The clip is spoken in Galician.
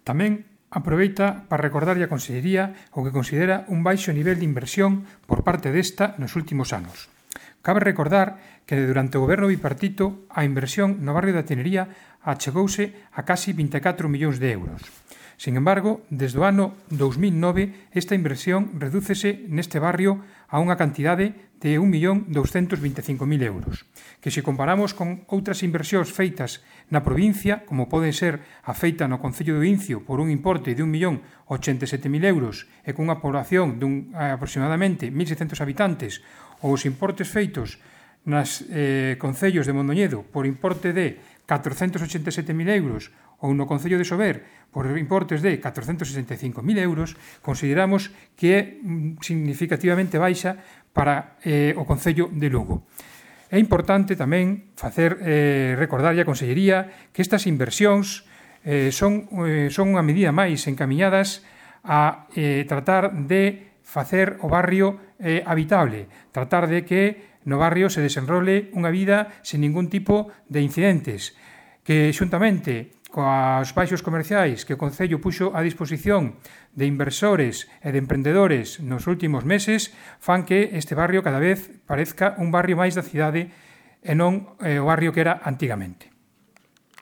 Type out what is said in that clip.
Tamén aproveita para recordarlle a Consellería o que considera un baixo nivel de inversión por parte desta nos últimos anos. Cabe recordar que durante o goberno bipartito a inversión no barrio da Tenería achegouse a casi 24 millóns de euros. Sin embargo, desde o ano 2009, esta inversión redúcese neste barrio a unha cantidade de 1.225.000 euros, que se comparamos con outras inversións feitas na provincia, como pode ser a feita no Concello de Incio por un importe de 1.087.000 euros e con unha población de aproximadamente 1.600 habitantes, ou os importes feitos nas concellos de Mondoñedo por importe de 487.000 euros ou no Concello de Sober por importes de 465.000 euros, consideramos que é significativamente baixa para o Concello de Lugo. É importante tamén recordarlle a Consellería que estas inversións son unha medida máis encamiñadas a tratar de facer o barrio habitable, tratar de que no barrio se desenrole unha vida sen ningún tipo de incidentes, que xuntamente coas baixos comerciais que o Concello puxo a disposición de inversores e de emprendedores nos últimos meses fan que este barrio cada vez parezca un barrio máis da cidade e non o barrio que era antigamente.